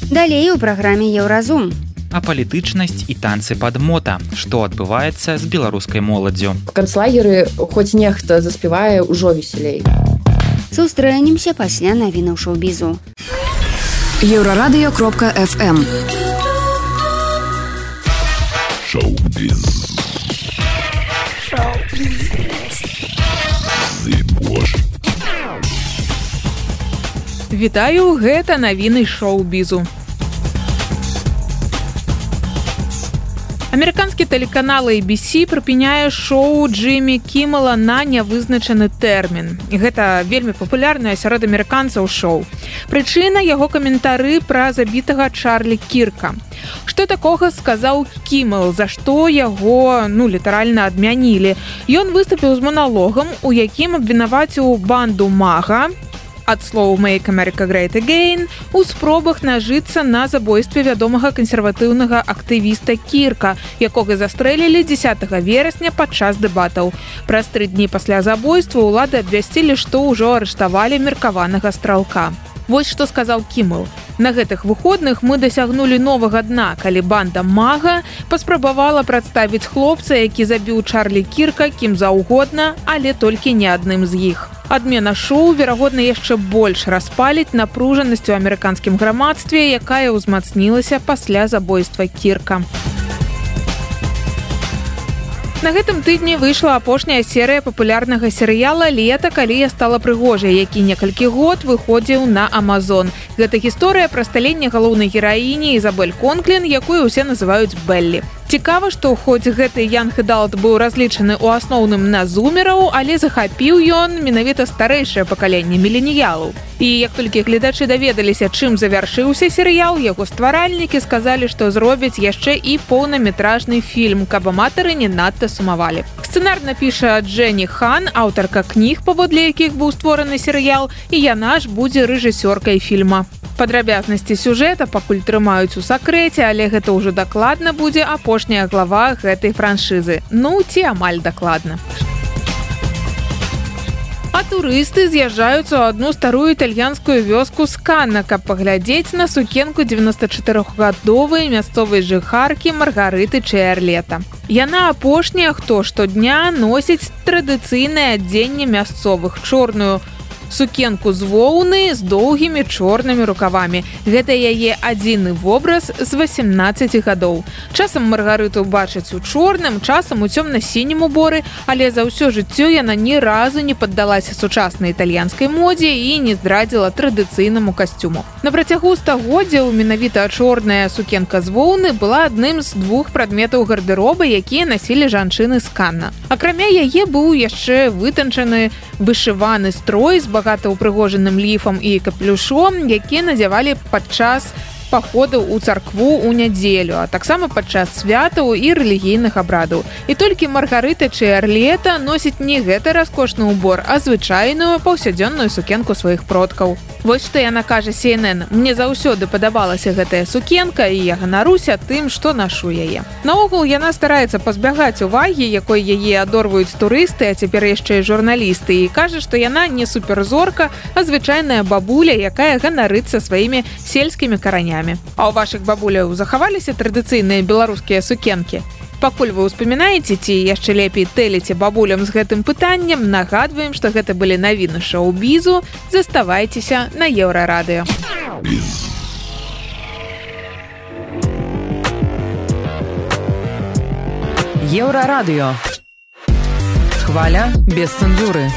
Далей у праграме «Еўразум». А палітычнасць і танцы пад мота. Што адбываецца з беларускай моладдзю? В канцлагеры хоць нехта заспявае ўжо весялей. Сустрэнемся пасля навінаў шоу-бізу. Еврорадио.фм. Шоу-біз. Вітаю, гэта навіны шоу-бізу. Амерыканскі тэлеканал ABC прыпыняе шоу Джиммі Кіммела на нявызначаны тэрмін. Гэта вельмі папулярнае сярод амерыканцаў шоу. Прычына яго каментары пра забітага Чарлі Кірка. Што такога сказаў Кіммел, за што яго, літаральна адмянілі. Ён выступіў з маналогам, у якім абвінаваціў банду МАГА, ад слоў «Make America Great Again», у спробах нажыцца на забойстве вядомага кансерватыўнага актывіста Кірка, якога застрэлілі 10 верасня падчас дэбатаў. Праз 3 дні пасля забойства ўлады абвясцілі, што ўжо арыштавалі меркаванага стралка. Вось што сказаў Кіммел. На гэтых выходных мы дасягнулі новага дна, калі банда МАГА паспрабавала прадставіць хлопца, які забіў Чарлі Кірка кім заўгодна, але толькі не адным з іх. Адмена шоу, верагодна, яшчэ больш распаліць напружанасць у амерыканскім грамадстве, якая ўзмацнілася пасля забойства Кірка. На гэтым тыдні выйшла апошняя серыя папулярнага серыяла «Лета, калі я стала прыгожай», які некалькі год выходзіў на Амазон. Гэта гісторыя пра сталенне галоўнай гераіні Ізабель Конклін, якую ўсе называюць Беллі. Цікава, што хоць гэты янг эдалт быў разлічаны ў асноўным на зумераў, але захапіў ён менавіта старэйшае пакаленне міленіялаў. І як толькі гледачы даведаліся, чым завяршыўся серыял, яго стваральнікі сказалі, што зробяць яшчэ і поўнаметражны фільм, каб аматары не надта сумавалі. Сцэнар напіша Дженні Хан, аўтарка кніг, паводле якіх быў створаны серыял, і яна ж будзе рэжысёркай фільма. Падрабязнасці сюжэта пакуль трымаюць у сакрэце, але гэта ўжо дакладна будзе апошняя глава гэтай франшызы. Ці амаль дакладна. А турысты з'язджаюцца ў адну старую італьянскую вёску Сканна, каб паглядзець на сукенку 94-гадовай мясцовай жыхаркі Маргарыты Чэрлета. Яна апошняя, хто штодня носіць традыцыйнае адзенне мясцовых, чорную сукенку з воўны з доўгімі чорнымі рукавамі. Гэта яе адзіны вобраз з 18 гадоў. Часам Маргарыту бачаць у чорным, часам у цёмна-сінім уборы, але за ўсё жыццё яна ні разу не паддалася сучаснай італьянскай модзе і не здрадзіла традыцыйнаму касцюму. На працягу стагоддзяў менавіта чорная сукенка з воўны была адным з 2 прадметаў гардэроба, якія насілі жанчыны з Канна. Акрамя яе быў яшчэ вытанчаны вышываны строй з багата ўпрыгожаным ліфам і капелюшом, які надзявалі падчас паходаў у царкву ў нядзелю, а таксама падчас святаў і рэлігійных абрадаў. І толькі Маргарыта Чэрлета носіць не гэты раскошны ўбор, а звычайную паўсядзённую сукенку сваіх продкаў. Вось што яна кажа CNN: «Мне заўсёды падабалася гэтая сукенка, і я ганаруся тым, што нашу яе». Наогул яна стараецца пазбягаць увагі, якой яе адорваюць турысты, а цяпер яшчэ і журналісты, і кажа, што яна не суперзорка, а звычайная бабуля, якая ганарыцца сваімі сельскімі каранямі. А ў вашых бабуляў захаваліся традыцыйныя беларускія сукенкі? Пакуль вы ўспамінаеце ці яшчэ лепей тэліце бабулям з гэтым пытаннем, нагадваем, што гэта былі навіны шоу-бізу. Заставайцеся на Еўрарадыё. Еўрарадыё. Хваля без цэнзуры.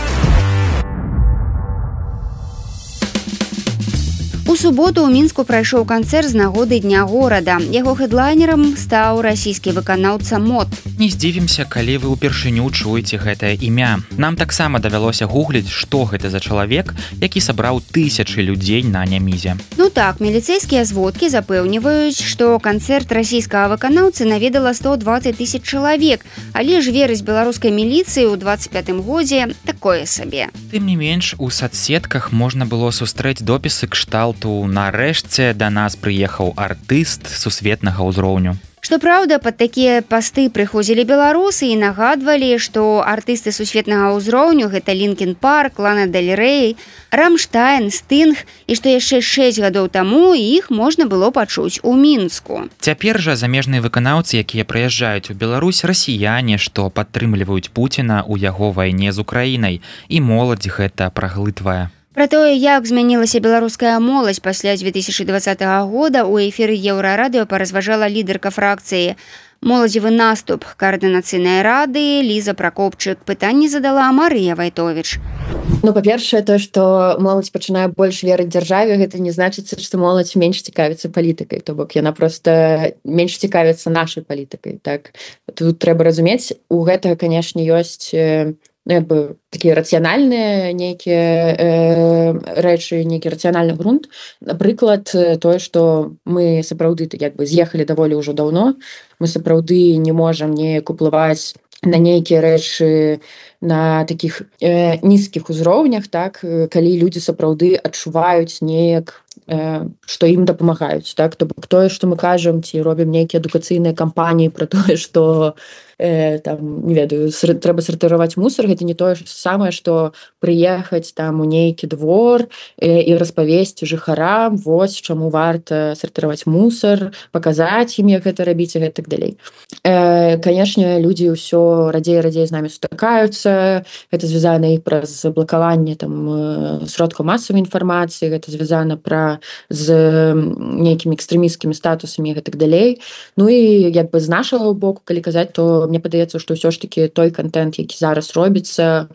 У У суботу ў мінску прайшоў канцэрт з нагоды дня горада. Яго хэдлайнерам стаў расійскі выканаўца МОД. Не здзівімся, калі вы ўпершыню чуеце гэтае імя. Нам таксама давялося гугліць, што гэта за чалавек, які сабраў тысячы людзей на Нямізе. Ну так, міліцэйскія зводкі запэўніваюць, што канцэрт расійскага выканаўцы наведала 120 тысяч чалавек, але ж верыць беларускай міліцыі ў 25-м годзе такое сабе. Тым не менш, у соцсетках можна было сустрэць допісы кшталту «Нарэшце да нас прыехаў артыст сусветнага ўзроўню». Што праўда, пад такія пасты прыходзілі беларусы і нагадвалі, што артысты сусветнага ўзроўню гэта Лінкін Парк, Лана Дель Рэй, Рамштайн, Стынг, і што яшчэ 6 гадоў таму іх можна было пачуць у Мінску. Цяпер жа замежныя выканаўцы, якія прыязджаюць у Беларусь, расіяне, што падтрымліваюць Пуціна ў яго вайне з Украінай, і моладзь гэта праглытвае. Пра тое, як змянілася беларуская моладзь пасля 2020 года, у эфіры Еўрарадыё паразважала лідарка фракцыі «Моладзевы наступ» координацыйнай рады Ліза Пракопчык. Пытанне задала Марыя Вайтовіч. Ну, па-першае, то, што моладзь пачынае больш верыць дзяржаве, гэта не значыцца, што моладзь менш цікавіцца палітыкай. То бок яна проста менш цікавіцца нашай палітыкай. Так? Тут трэба разумець, у гэтага, канешне, ёсць такія рацыянальныя нейкія рэчы, нейкі рацыянальны грунт. Напрыклад, тое, што мы сапраўды з'ехалі даволі ўжо даўно, мы сапраўды не можам неяк уплываць на нейкія рэчы на такіх нізкіх узроўнях, так, калі людзі сапраўды адчуваюць неяк, што ім дапамагаюць. Так? То бок тое, што мы кажам, ці робім нейкія адукацыйныя кампаніі пра тое, што там, не ведаю, трэба сартыраваць мусор, гэта не тое самае, што прыехаць там у нейкі двор і распавесці жыхарам, вось чаму варта сартыраваць мусор, паказаць ім, як гэта рабіць і гэтак далей. Канешне, людзі ўсё радзей з намі сутыкаюцца, гэта звязана і праз блакаванне там сродкаў масавай інфармацыі, гэта звязана з нейкімі экстрэмісцкімі статусамі і гэтак далей. Ну і з нашага боку, калі казаць, то мне падаецца, што ўсё ж такі той контент, які зараз робіцца,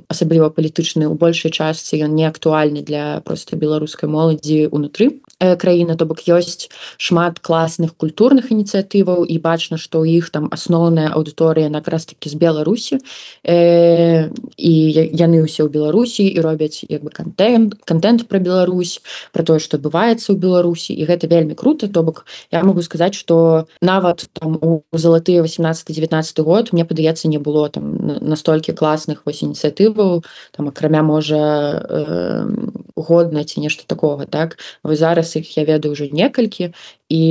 асабліва палітычны, у большай частцы ён не актуальны для проста беларускай моладзі ўнутры краіны. То бок ёсць шмат класных культурных ініцыятываў і бачна, што ў іх там асноўная аўдыторыя якраз такі з Беларусі, і яны ўсе ў Беларусі і робяць контент пра Беларусь, пра тое, што адбываецца ў Беларусі, і гэта вельмі круто. То бок я могу сказаць, што нават там у залатыя 18-19 год, мне падаецца, не было там настолькі класных ініцыятываў, там акрамя можа годна ці нешта такога, так? Вось зараз іх я ведаю ўжо некалькі, і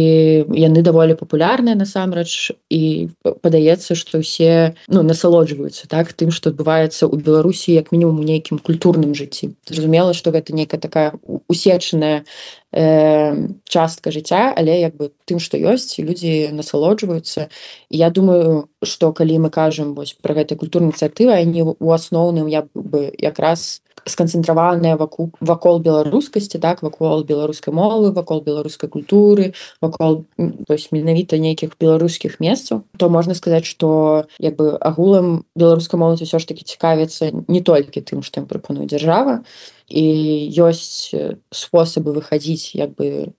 яны даволі папулярныя насамрэч, і падаецца, што ўсе насалоджваюцца, так, тым, што адбываецца ў Беларусі як мінімум у нейкім культурным жыцці. Зразумела, што гэта нейкая такая усечаная частка жыцця, але тым, што ёсць, людзі насалоджваюцца. І я думаю, што калі мы кажам пра гэтыя культурныя ініцыятывы, яны ў асноўным якраз сканцэнтраваныя вакол беларускасці, так, вакол беларускай мовы, вакол беларускай культуры, вакол менавіта нейкіх беларускіх месцаў, то можна сказаць, што агулам беларускай моладзь усё ж такі цікавіцца не толькі тым, што ім прапануе дзяржава, і ёсць спосабы выхадзіць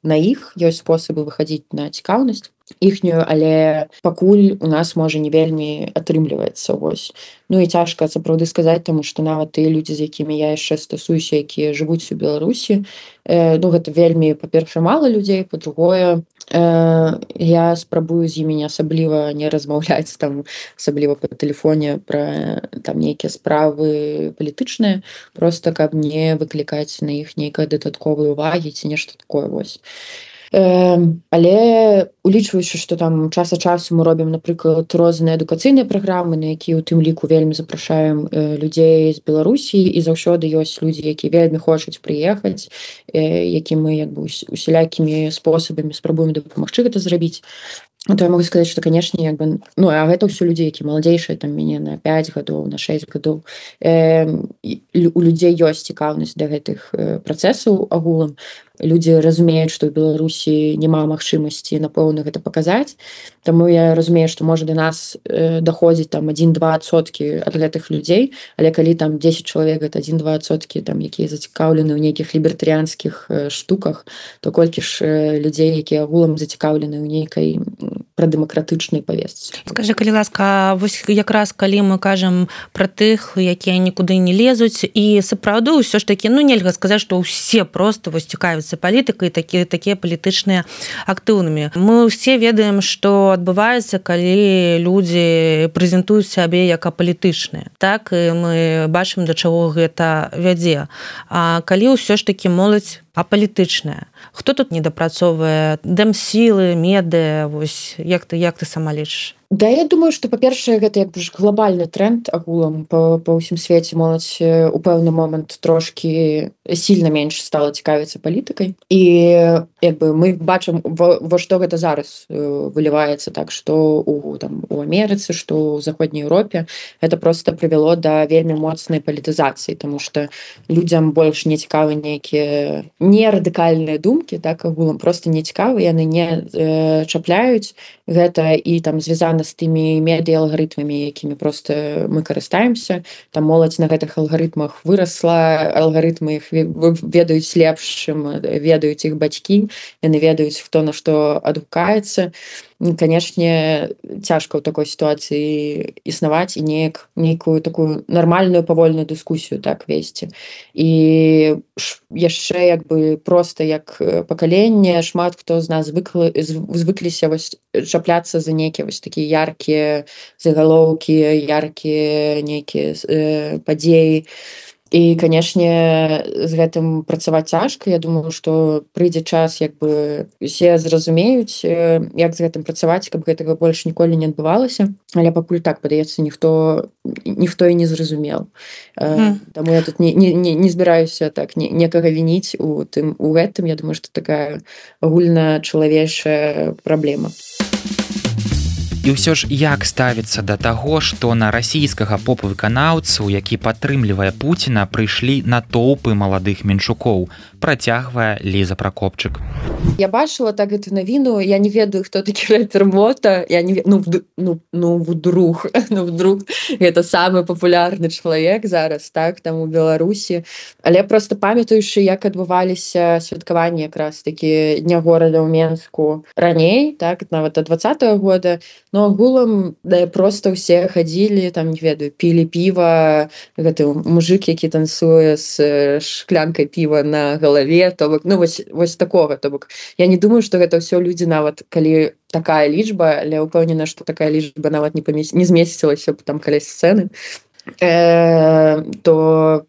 на іх, ёсць спосабы выхадзіць на цікаўнасць іхнюю, але пакуль у нас можа не вельмі атрымліваецца. Вось. Ну і цяжка сапраўды сказаць, таму што нават тыя людзі, з якімі я яшчэ стасуюся, якія жывуць у Беларусі, гэта вельмі, па-першае, мала людзей, па-другое, я спрабую з імі асабліва не размаўляць, там, асабліва па тэлефоне пра там нейкія справы палітычныя, проста каб не выклікаць на іх нейкай дадатковай увагі ці нешта такое. Вось. Але улічваючы, што там час ад часу мы робім, напрыклад, розныя адукацыйныя праграмы, на якія ў тым ліку вельмі запрашаем людзей з Беларусі, і заўсёды ёсць людзі, якія вельмі хочуць прыехаць, які мы усялякімі спосабамі спрабуем дапамагчы гэта зрабіць. То я могу сказаць, што, канешне, а гэта ўсё людзі, які маладзейшыя там мяне на 5 гадоў, на 6 гадоў. У людзей ёсць цікаўнасць да гэтых працэсаў агулам, людзі разумеюць, што ў Беларусі няма магчымасці напэўна гэта паказаць. Таму я разумею, што можа да нас даходзіць там 1-2% ад гэтых людзей, але калі там 10 чалавек гэта 1-2% там якія зацікаўлены ў нейкіх лібертарыянскіх штуках, то колькі ж людзей, якія агулам зацікаўлены ў нейкай прадэмакратычнай павестцы. Скажы, калі ласка, вось якраз калі мы кажам пра тых, якія нікуды не лезуць, і сапраўды ўсё ж такі, нельга сказаць, што ўсе проста вось цікавяцца палітыкай, такія палітычныя актыўнымі. Мы ўсе ведаем, што адбываецца, калі людзі прэзентуюць сябе як апалітычныя. Так, і мы бачым, да чаго гэта вядзе. А калі ўсё ж такі моладзь апалітычная, хто тут недапрацоўвае? Дэмсілы, медыя, вось як ты сама лічыш? Да, я думаю, што, па-першае, гэта як бы ж глобальны тренд агулам па ўсім свеце. Моладзь у пэўны момант трошкі сильна менш стала цікавіцца палітыкай. І як бы мы бачым, во што гэта зараз выліваецца, так, што у Амерыцы, што ў Заходняй Еўропе. Гэта проста прывяло да вельмі моцнай палітызацыі, таму што людзям больш не цікавы нейкія не радыкальныя думкі, так, агулам проста не цікавы, яны не чапляюць гэта і там звязана з тымі медыа-алгарытмамі, якімі проста мы карыстаемся. Там моладзь на гэтых алгарытмах вырасла, алгарытмы іх ведаюць лепш, чым ведаюць іх бацькі, яны ведаюць, хто на што адгукаецца. Канешне, цяжка ў такой сітуацыі існаваць і нейкую такую нармальную павольную дыскусію так весці. І яшчэ як бы проста як пакаленне шмат хто з нас звыкліся чапляцца за нейкія вось такія яркія загалоўкі, яркія нейкія падзеі. І, канешне, з гэтым працаваць цяжка. Я думаю, што прыйдзе час, як бы усе зразумеюць, як з гэтым працаваць, каб гэтага больш ніколі не адбывалася. Але пакуль так, падаецца, ніхто і не зразумеў. Таму я тут не збіраюся так некага вініць у гэтым. Я думаю, што такая агульначалавечая праблема. І ўсё ж як ставіцца да таго, што на расійскага поп-выканаўцу, які падтрымлівае Пуціна, прыйшлі натоўпы маладых менчукоў, працягвае Ліза Пракопчык. Я бачыла так эту навіну, я не ведаю, хто такі рэпер Мота, я не вдруг гэта самы папулярны чалавек зараз, так, там у Беларусі. Але проста памятаючы, як адбываліся святкаванні якраз такі Дня горада ў Менску раней, так, нават ад 20-го года, но агулам проста ўсе хадзілі, там, не ведаю, пілі піва, гэты мужик, які танцуе з шклянкай піва на галаве, то бок, вось такога, то бок. Я не думаю, што гэта ўсё людзі нават, калі такая лічба, але ўпэўнена, што такая лічба нават не змесцілася там каля сцэны. То,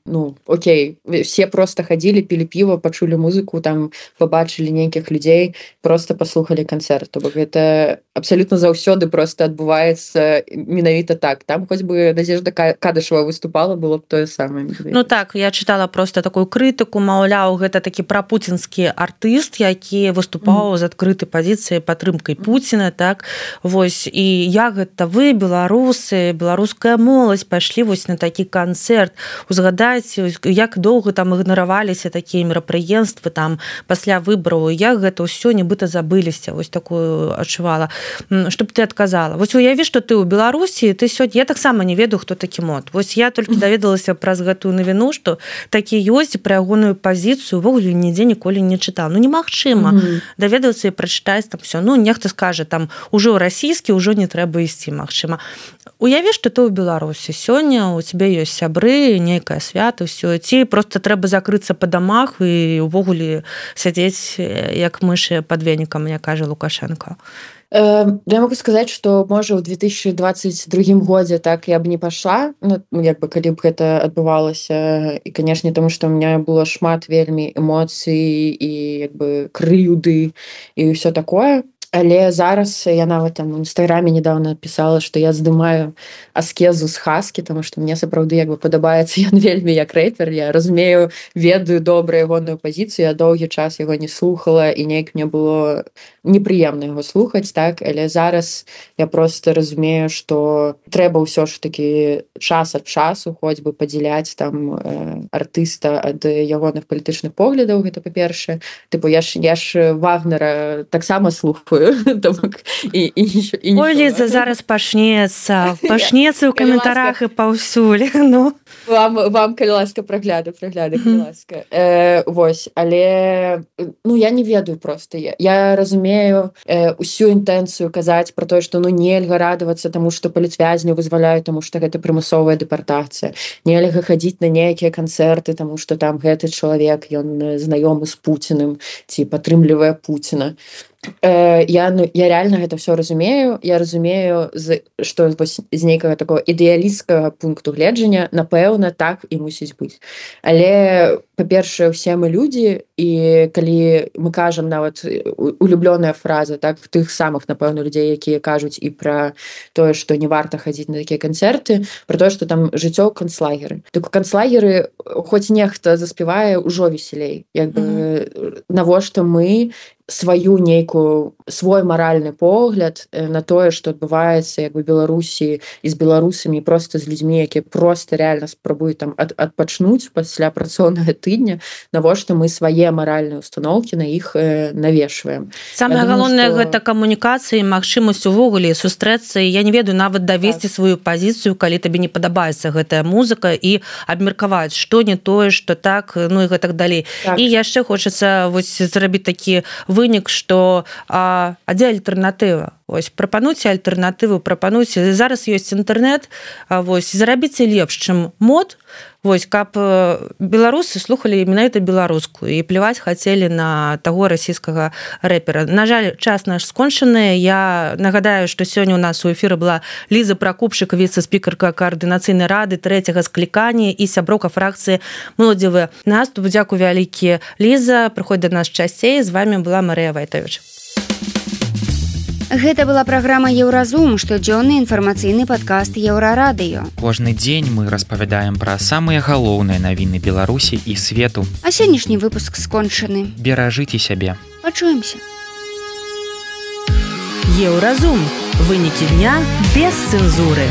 окей, все просто хадзілі, пілі піва, пачулі музыку, там пабачылі нейкіх людзей, просто паслухалі канцэрт. То бок гэта абсалютна заўсёды просто адбываецца менавіта так. Там хоць бы Надзежда Кадышева выступала, было б тое самае. Так, я чытала просто такую крытыку, маўляў, гэта такі прапуцінскі артыст, які выступаў з адкрытай пазіцыяй падтрымкай Пуціна, так, вось, і як гэта вы, беларусы, беларуская моладзь, пайшлі вось на такі канцэрт. Узгадайце, як доўга там ігнараваліся такія мерапрыемствы там пасля выбараў, як гэта ўсё нібыта забыліся, вось такую адчувала. Што б ты адказала? Вось уяві, што ты ў Беларусі, ты сёння, я таксама не ведаю, хто такі Мот. Вось я толькі даведалася праз гэтую навіну, што такі ёсць, пра ягоную пазіцыю ўвогуле нідзе ніколі не чытала. Немагчыма даведацца і прачытаць там ўсё. Нехта скажа, там ужо расійскі, ўжо не трэба ісці, магчыма. Уяві, што ты ў Беларусі сёння, у цябе ёсць сябры, нейкае свята, ўсё, ці проста трэба закрыцца па дамах і ўвогуле сядзець як мышы пад венікам, як кажа Лукашенко. Я могу сказаць, што можа ў 2022 годзе так я б не пайшла, як бы калі б гэта адбывалася, і канешне, таму што ў меня было шмат вельмі эмоцый і як бы крыўды і ўсё такое. Але зараз я нават там у інстаграме недавно писала, што я здымаю аскезу з Хаскі, тому што мне сапраўды як бы падабаецца ён вельмі як рэпер. Я разумею, ведаю добра ягоную пазіцыю, я доўгі час яго не слухала і неяк мне было непрыемна яго слухаць, так, але зараз я просто разумею, што трэба ўсё ж такі час ад часу хоць бы падзяляць там артыста ад ягоных палітычных поглядаў, гэта па-першае. Тыпу я ж Вагнера таксама слухаю. Ой, Ліза, зараз пачнецца ў каментарах і паўсюль. Вам, калі ласка, прагляды, калі ласка. Вось, але я не ведаю проста. Я разумею усю інтэнцыю казаць пра тое, што нельга радавацца таму, што палітвязняў вызваляюць, таму што гэта прымусовая дэпартацыя. Нельга хадзіць на нейкія канцэрты, таму што там гэты чалавек, ён знаёмы з Пуціным ці падтрымлівае Пуціна. Я реально гэта все разумею. Я разумею, што з нейкага такого ідэалісцкага пункту гледжання, напэўна, так і мусіць быць. Але, па-першае, усе мы людзі, і калі мы кажам нават улюблёная фраза, так, тых самых, напэўна, людзей, якія кажуць і пра тое, што не варта хадзіць на такія канцэрты, пра тое, што там жыццё ў канцлагеры. Так у канцлагеры хоць нехта заспявае ўжо весялей. Як бы навошта мы свой маральны погляд на тое, што адбываецца як бы Беларусі і з беларусамі, проста з людзьмі, якія проста рэальна спрабуюць там адпачнуць пасля працоўнага тыдня, навошта мы свае маральныя установкі на іх навешваем. Самае галоўнае гэта камунікацыя і магчымасць увогуле сустрэцца, і я не ведаю, нават давесці сваю пазіцыю, калі табе не падабаецца гэтая музыка, і абмеркаваць, што не тое, што так, і гэтак далей. І яшчэ хочацца зрабіць такі вынік, што дзе альтэрнатыва? Прапануйце альтэрнатыву, прапануйце. Зараз ёсць інтэрнэт, зарабіце лепш, чым мод, каб беларусы слухалі менавіта беларускую і пляваць хацелі на таго расійскага рэпера. На жаль, час наш скончаны. Я нагадаю, што сёння у нас у эфіры была Ліза Пракупчык, віцэ-спікерка каардынацыйнай рады 3-го склікання і сяброўка фракцыі «Моладзевы наступ». Дзякуй вялікі, Ліза. Прыходзь да нас часцей. З вами была Марыя Вайтовіч. Гэта была праграма «Еўразум», штодзённы інфармацыйны падкаст Еўрарадыё. Кожны дзень мы распавядаем пра самыя галоўныя навіны Беларусі і свету. А сённяшні выпуск скончаны. Беражыце сябе. Пачуемся. Еўразум. Вынікі дня без цэнзуры.